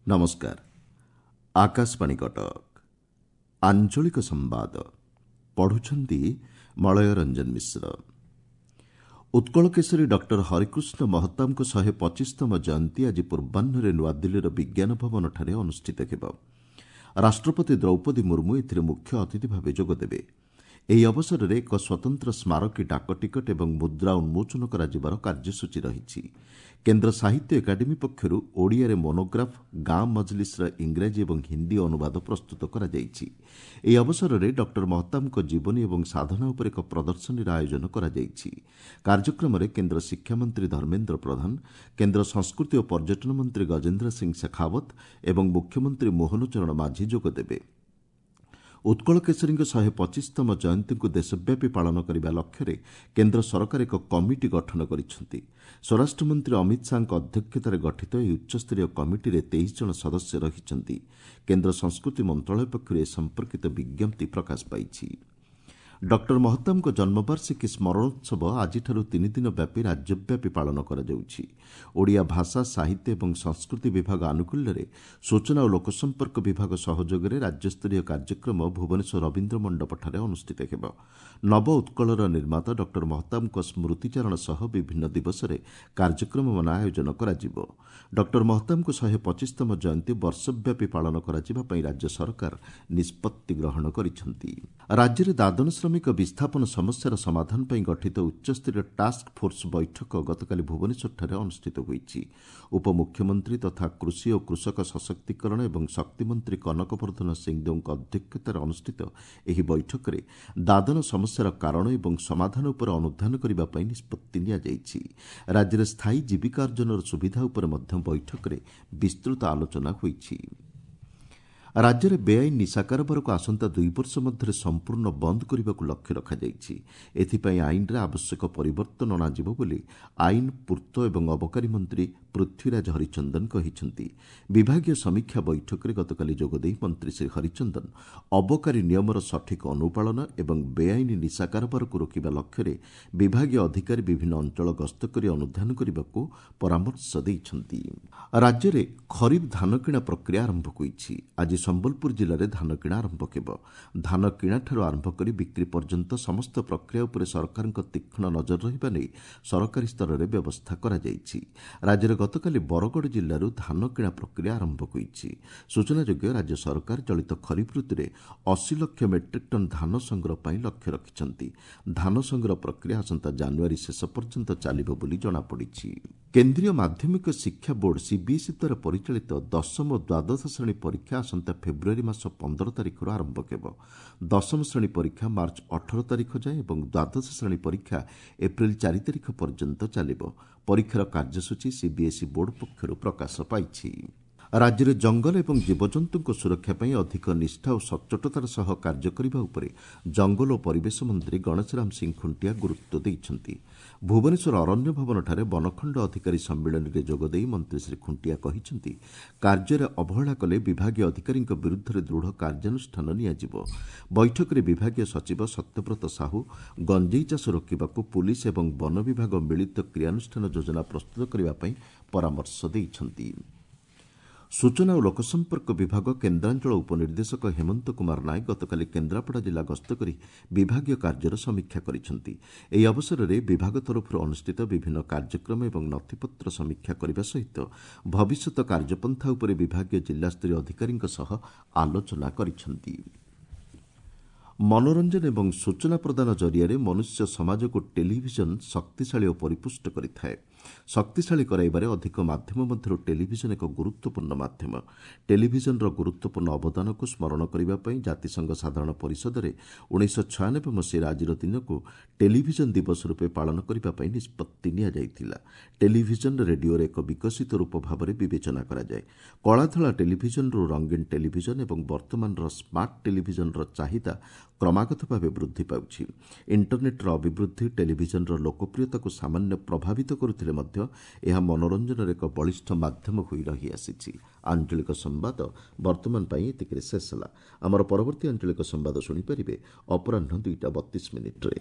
ନମସ୍କାର, ଆକାଶବାଣୀ କଟକ। ଆଞ୍ଚଳିକ ସମ୍ବାଦ ପଢ଼ୁଛନ୍ତି ମଳୟ ରଞ୍ଜନ ମିଶ୍ର। ଉତ୍କଳ କେଶରୀ ଡକ୍ଟର ହରେକୃଷ୍ଣ ମହତାବଙ୍କ 125ତମ ଜୟନ୍ତୀ ଆଜି ପୂର୍ବାହ୍ନରେ ନୂଆଦିଲ୍ଲୀର ବିଜ୍ଞାନ ଭବନଠାରେ ଅନୁଷ୍ଠିତ ହେବ। ରାଷ୍ଟ୍ରପତି ଦ୍ରୌପଦୀ ମୁର୍ମୁ ଏଥିରେ ମୁଖ୍ୟ ଅତିଥି ଭାବେ ଯୋଗଦେବେ। ଏହି ଅବସରରେ ଏକ ସ୍ୱତନ୍ତ୍ର ସ୍ମାରକୀ ଡାକଟିକଟ ଏବଂ ମୁଦ୍ରା ଉନ୍ମୋଚନ କରାଯିବାର କାର୍ଯ୍ୟସୂଚୀ ରହିଛି। କେନ୍ଦ୍ର ସାହିତ୍ୟ ଏକାଡେମୀ ପକ୍ଷରୁ ଓଡ଼ିଆରେ ମୋନୋଗ୍ରାଫ୍ ଗାଁ ମଜଲିସ୍ର ଇଂରାଜୀ ଏବଂ ହିନ୍ଦୀ ଅନୁବାଦ ପ୍ରସ୍ତୁତ କରାଯାଇଛି। ଏହି ଅବସରରେ ଡକ୍ଟର ମହତାବଙ୍କ ଜୀବନୀ ଏବଂ ସାଧନା ଉପରେ ଏକ ପ୍ରଦର୍ଶନୀର ଆୟୋଜନ କରାଯାଇଛି। କାର୍ଯ୍ୟକ୍ରମରେ କେନ୍ଦ୍ର ଶିକ୍ଷାମନ୍ତ୍ରୀ ଧର୍ମେନ୍ଦ୍ର ପ୍ରଧାନ, କେନ୍ଦ୍ର ସଂସ୍କୃତି ଓ ପର୍ଯ୍ୟଟନ ମନ୍ତ୍ରୀ ଗଜେନ୍ଦ୍ର ସିଂ ଶେଖାଓ୍ୱତ ଏବଂ ମୁଖ୍ୟମନ୍ତ୍ରୀ ମୋହନ ଚରଣ ମାଝୀ ଯୋଗଦେବେ। ଉତ୍କଳ କେଶରୀଙ୍କ 125ତମ ଜୟନ୍ତୀକୁ ଦେଶବ୍ୟାପୀ ପାଳନ କରିବା ଲକ୍ଷ୍ୟରେ କେନ୍ଦ୍ର ସରକାର ଏକ କମିଟି ଗଠନ କରିଛନ୍ତି। ସ୍ୱରାଷ୍ଟ୍ରମନ୍ତ୍ରୀ ଅମିତ ଶାହାଙ୍କ ଅଧ୍ୟକ୍ଷତାରେ ଗଠିତ ଏହି ଉଚ୍ଚସ୍ତରୀୟ କମିଟିରେ 23 ଜଣ ସଦସ୍ୟ ରହିଛନ୍ତି। କେନ୍ଦ୍ର ସଂସ୍କୃତି ମନ୍ତ୍ରଣାଳୟ ପକ୍ଷରୁ ଏ ସମ୍ପର୍କିତ ବିଜ୍ଞପ୍ତି ପ୍ରକାଶ ପାଇଛି। ଡକ୍ଟର ମହତାବଙ୍କ ଜନ୍ମବାର୍ଷିକୀ ସ୍ମରଣୋତ୍ସବ ଆଜିଠାରୁ 3 ଦିନ ବ୍ୟାପୀ ରାଜ୍ୟବ୍ୟାପୀ ପାଳନ କରାଯାଉଛି। ଓଡ଼ିଆ ଭାଷା, ସାହିତ୍ୟ ଏବଂ ସଂସ୍କୃତି ବିଭାଗ ଆନୁକୂଲ୍ୟରେ ସୂଚନା ଓ ଲୋକସମ୍ପର୍କ ବିଭାଗ ସହଯୋଗରେ ରାଜ୍ୟସ୍ତରୀୟ କାର୍ଯ୍ୟକ୍ରମ ଭୁବନେଶ୍ୱର ରବୀନ୍ଦ୍ର ମଣ୍ଡପଠାରେ ଅନୁଷ୍ଠିତ ହେବ। ନବ ଉତ୍କଳର ନିର୍ମାତା ଡକ୍ଟର ମହତାବଙ୍କ ସ୍ମୃତିଚାରଣ ସହ ବିଭିନ୍ନ ଦିବସରେ କାର୍ଯ୍ୟକ୍ରମମାନ ଆୟୋଜନ କରାଯିବ। ଡକ୍ଟର ମହତାବଙ୍କ 125ତମ ଜୟନ୍ତୀ ବର୍ଷବ୍ୟାପୀ ପାଳନ କରାଯିବା ପାଇଁ ରାଜ୍ୟ ସରକାର ନିଷ୍ପତ୍ତି ଗ୍ରହଣ କରିଛନ୍ତି। ରାଜ୍ୟରେ ଦାଦନ ଶ୍ରମିକ ବିସ୍ଥାପନ ସମସ୍ୟାର ସମାଧାନ ପାଇଁ ଗଠିତ ଉଚ୍ଚସ୍ତରୀୟ ଟାସ୍କ ଫୋର୍ସ ବୈଠକ ଗତକାଲି ଭୁବନେଶ୍ୱରଠାରେ ଅନୁଷ୍ଠିତ ହୋଇଛି। ଉପମୁଖ୍ୟମନ୍ତ୍ରୀ ତଥା କୃଷି ଓ କୃଷକ ସଶକ୍ତିକରଣ ଏବଂ ଶକ୍ତିମନ୍ତ୍ରୀ କନକ ବର୍ଦ୍ଧନ ସିଂଦେଓଙ୍କ ଅଧ୍ୟକ୍ଷତାରେ ଅନୁଷ୍ଠିତ ଏହି ବୈଠକରେ ଦାଦନ ସମସ୍ୟାର କାରଣ ଏବଂ ସମାଧାନ ଉପରେ ଅନୁଧ୍ୟାନ କରିବା ପାଇଁ ନିଷ୍ପତ୍ତି ନିଆଯାଇଛି। ରାଜ୍ୟରେ ସ୍ଥାୟୀ ଜୀବିକା ଅର୍ଜନର ସୁବିଧା ଉପରେ ମଧ୍ୟ ବୈଠକରେ ବିସ୍ତୃତ ଆଲୋଚନା ହୋଇଛି। ରାଜ୍ୟରେ ବେଆଇନ ନିଶା କାରବାରକୁ ଆସନ୍ତା 2 ବର୍ଷ ମଧ୍ୟରେ ସମ୍ପୂର୍ଣ୍ଣ ବନ୍ଦ କରିବାକୁ ଲକ୍ଷ୍ୟ ରଖାଯାଇଛି। ଏଥିପାଇଁ ଆଇନରେ ଆବଶ୍ୟକ ପରିବର୍ତ୍ତନ ଅଣାଯିବ ବୋଲି ଆଇନ, ପୂର୍ତ୍ତ ଏବଂ ଅବକାରୀ ମନ୍ତ୍ରୀ ପୃଥ୍ୱୀରାଜ ହରିଚନ୍ଦନ କହିଛନ୍ତି। ବିଭାଗୀୟ ସମୀକ୍ଷା ବୈଠକରେ ଗତକାଲି ଯୋଗଦେଇ ମନ୍ତ୍ରୀ ଶ୍ରୀ ହରିଚନ୍ଦନ ଅବକାରୀ ନିୟମର ସଠିକ୍ ଅନୁପାଳନ ଏବଂ ବେଆଇନ ନିଶା କାରବାରକୁ ରୋକିବା ଲକ୍ଷ୍ୟରେ ବିଭାଗୀୟ ଅଧିକାରୀ ବିଭିନ୍ନ ଅଞ୍ଚଳ ଗସ୍ତ କରି ଅନୁଧ୍ୟାନ କରିବାକୁ ପରାମର୍ଶ ଦେଇଛନ୍ତି। ରାଜ୍ୟରେ ଖରିଫ ଧାନ କିଣା ପ୍ରକ୍ରିୟା ଆରମ୍ଭ ହୋଇଛି। ଆଜି ସମ୍ବଲପୁର ଜିଲ୍ଲାରେ ଧାନ କିଣା ଆରମ୍ଭ ହେବ। ଧାନ କିଣାଠାରୁ ଆରମ୍ଭ କରି ବିକ୍ରି ପର୍ଯ୍ୟନ୍ତ ସମସ୍ତ ପ୍ରକ୍ରିୟା ଉପରେ ସରକାରଙ୍କ ତୀକ୍ଷ୍ଣ ନଜର ରହିବା ନେଇ ସରକାରୀ ସ୍ତରରେ ବ୍ୟବସ୍ଥା କରାଯାଇଛି। ରାଜ୍ୟରେ ଗତକାଲି ବରଗଡ଼ ଜିଲ୍ଲାରୁ ଧାନ କିଣା ପ୍ରକ୍ରିୟା ଆରମ୍ଭ ହୋଇଛି। ସୂଚନାଯୋଗ୍ୟ, ରାଜ୍ୟ ସରକାର ଚଳିତ ଖରିଫ ଋତୁରେ 80 ଲକ୍ଷ ମେଟ୍ରିକ୍ ଟନ୍ ଧାନ ସଂଗ୍ରହ ପାଇଁ ଲକ୍ଷ୍ୟ ରଖିଛନ୍ତି। ଧାନ ସଂଗ୍ରହ ପ୍ରକ୍ରିୟା ଆସନ୍ତା ଜାନୁଆରୀ ଶେଷ ପର୍ଯ୍ୟନ୍ତ ଚାଲିବ ବୋଲି ଜଣାପଡ଼ିଛି। କେନ୍ଦ୍ରୀୟ ମାଧ୍ୟମିକ ଶିକ୍ଷା ବୋର୍ଡ ସିବିଏସ୍ଇ ଦ୍ୱାରା ପରିଚାଳିତ ଦଶମ ଓ ଦ୍ୱାଦଶ ଶ୍ରେଣୀ ପରୀକ୍ଷା ଆସନ୍ତା ଫେବୃଆରୀ ମାସ 15 ତାରିଖରୁ ଆରମ୍ଭ ହେବ। ଦଶମ ଶ୍ରେଣୀ ପରୀକ୍ଷା ମାର୍ଚ୍ଚ 18 ତାରିଖ ଯାଏଁ ଏବଂ ଦ୍ୱାଦଶ ଶ୍ରେଣୀ ପରୀକ୍ଷା ଏପ୍ରିଲ 4 ତାରିଖ ପର୍ଯ୍ୟନ୍ତ ଚାଲିବ। ପରୀକ୍ଷାର କାର୍ଯ୍ୟସୂଚୀ ସିବିଏସ୍ଇ ବୋର୍ଡ ପକ୍ଷରୁ ପ୍ରକାଶ ପାଇଛି। ରାଜ୍ୟରେ ଜଙ୍ଗଲ ଏବଂ ଜୀବଜନ୍ତୁଙ୍କ ସୁରକ୍ଷା ପାଇଁ ଅଧିକ ନିଷ୍ଠା ଓ ସଚ୍ଚୋଟତାର ସହ କାର୍ଯ୍ୟ କରିବା ଉପରେ ଜଙ୍ଗଲ ଓ ପରିବେଶ ମନ୍ତ୍ରୀ ଗଣେଶରାମ ସିଂ ଖୁଣ୍ଟିଆ ଗୁରୁତ୍ୱ ଦେଇଛନ୍ତି। ଭୁବନେଶ୍ୱର ଅରଣ୍ୟ ଭବନଠାରେ ବନଖଣ୍ଡ ଅଧିକାରୀ ସମ୍ମିଳନୀରେ ଯୋଗଦେଇ ମନ୍ତ୍ରୀ ଶ୍ରୀ ଖୁଣ୍ଟିଆ କହିଛନ୍ତି, କାର୍ଯ୍ୟରେ ଅବହେଳା କଲେ ବିଭାଗୀୟ ଅଧିକାରୀଙ୍କ ବିରୁଦ୍ଧରେ ଦୃଢ଼ କାର୍ଯ୍ୟାନୁଷ୍ଠାନ ନିଆଯିବ। ବୈଠକରେ ବିଭାଗୀୟ ସଚିବ ସତ୍ୟବ୍ରତ ସାହୁ ଗଞ୍ଜେଇ ଚାଷ ରୋକିବାକୁ ପୁଲିସ୍ ଏବଂ ବନ ବିଭାଗ ମିଳିତ କ୍ରିୟାନୁଷ୍ଠାନ ଯୋଜନା ପ୍ରସ୍ତୁତ କରିବା ପାଇଁ ପରାମର୍ଶ ଦେଇଛନ୍ତି। ସୂଚନା ଓ ଲୋକସମ୍ପର୍କ ବିଭାଗ କେନ୍ଦ୍ରାଞ୍ଚଳ ଉପନିର୍ଦ୍ଦେଶକ ହେମନ୍ତ କୁମାର ନାୟକ ଗତକାଲି କେନ୍ଦ୍ରାପଡ଼ା ଜିଲ୍ଲା ଗସ୍ତ କରି ବିଭାଗୀୟ କାର୍ଯ୍ୟର ସମୀକ୍ଷା କରିଛନ୍ତି। ଏହି ଅବସରରେ ବିଭାଗ ତରଫରୁ ଅନୁଷ୍ଠିତ ବିଭିନ୍ନ କାର୍ଯ୍ୟକ୍ରମ ଏବଂ ନଥିପତ୍ର ସମୀକ୍ଷା କରିବା ସହିତ ଭବିଷ୍ୟତ କାର୍ଯ୍ୟପନ୍ଥା ଉପରେ ବିଭାଗୀୟ ଜିଲ୍ଲାସ୍ତରୀୟ ଅଧିକାରୀଙ୍କ ସହ ଆଲୋଚନା କରିଛନ୍ତି। ମନୋରଞ୍ଜନ ଏବଂ ସୂଚନା ପ୍ରଦାନ ଜରିଆରେ ମନୁଷ୍ୟ ସମାଜକୁ ଟେଲିଭିଜନ ଶକ୍ତିଶାଳୀ ଓ ପରିପୁଷ୍ଟ କରିଥାଏ। ଶକ୍ତିଶାଳୀ କରାଇବାରେ ଅଧିକ ମାଧ୍ୟମ ମଧ୍ୟରୁ ଟେଲିଭିଜନ ଏକ ଗୁରୁତ୍ୱପୂର୍ଣ୍ଣ ମାଧ୍ୟମ। ଟେଲିଭିଜନର ଗୁରୁତ୍ୱପୂର୍ଣ୍ଣ ଅବଦାନକୁ ସ୍ମରଣ କରିବା ପାଇଁ ଜାତିସଂଘ ସାଧାରଣ ପରିଷଦରେ 1996 ମସିହାରେ ଆଜିର ଦିନକୁ ଟେଲିଭିଜନ ଦିବସ ରୂପେ ପାଳନ କରିବା ପାଇଁ ନିଷ୍ପତ୍ତି ନିଆଯାଇଥିଲା। ଟେଲିଭିଜନ ରେଡିଓର ଏକ ବିକଶିତ ରୂପ ଭାବରେ ବିବେଚନା କରାଯାଏ। କଳାଧଳା ଟେଲିଭିଜନରୁ ରଙ୍ଗୀନ ଟେଲିଭିଜନ ଏବଂ ବର୍ତ୍ତମାନର ସ୍ମାର୍ଟ ଟେଲିଭିଜନର ଚାହିଦା କ୍ରମାଗତ ଭାବେ ବୃଦ୍ଧି ପାଉଛି। ଇଣ୍ଟରନେଟ୍ର ଅଭିବୃଦ୍ଧି ଟେଲିଭିଜନର ଲୋକପ୍ରିୟତାକୁ ସାମାନ୍ୟ ପ୍ରଭାବିତ କରୁଥିଲେ ମଧ୍ୟ ଏହା ମନୋରଞ୍ଜନର ଏକ ବଳିଷ୍ଠ ମାଧ୍ୟମ ହୋଇ ରହିଆସିଛି। ଆଞ୍ଚଳିକ ସମ୍ବାଦ ବର୍ତ୍ତମାନ ପାଇଁ ଏତିକିରେ ଶେଷ ହେଲା। ଆମର ପରବର୍ତ୍ତୀ ଆଞ୍ଚଳିକ ସମ୍ବାଦ ଶୁଣିପାରିବେ ଅପରାହ୍ନ 2ଟା 32 ମିନିଟ୍ରେ।